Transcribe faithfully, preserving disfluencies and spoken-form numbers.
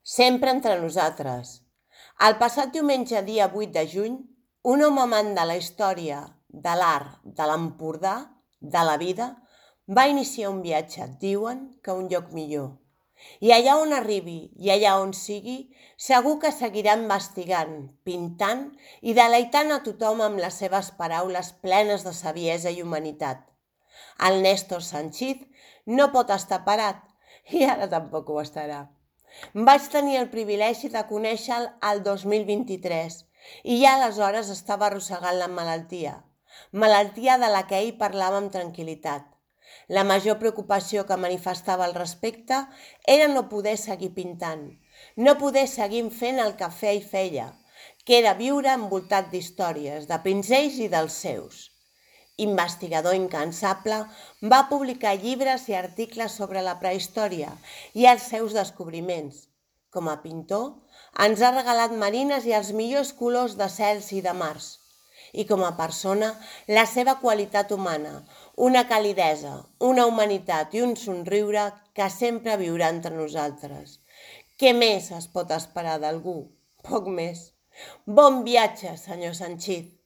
Sempre entre nosaltres. El passat diumenge, dia vuit de juny, un home amant de la història, de l'art, de l'Empordà, de la vida, va iniciar un viatge, diuen que a un lloc millor. I allà on arribi, i allà on sigui, segur que seguirà investigant, pintant i deleitant a tothom amb les seves paraules plenes de saviesa i humanitat. El Néstor Sanchis no pot estar parat, i ara tampoc ho estarà. Vaig tenir el privilegi de conèixer-lo el dos mil vint-i-tres i ja aleshores estava arrossegant la malaltia, malaltia de la que ell parlava amb tranquil·litat. La major preocupació que manifestava al respecte era no poder seguir pintant, no poder seguir fent el que feia i feia, que era viure envoltat d'històries, de pinzells i dels seus. Investigador incansable, va publicar llibres i articles sobre la prehistòria i els seus descobriments. Com a pintor, ens ha regalat marines i els millors colors de cels i de mars. I com a persona, la seva qualitat humana, una calidesa, una humanitat i un somriure que sempre viurà entre nosaltres. Què més es pot esperar d'algú? Poc més. Bon viatge, senyor Sanchis.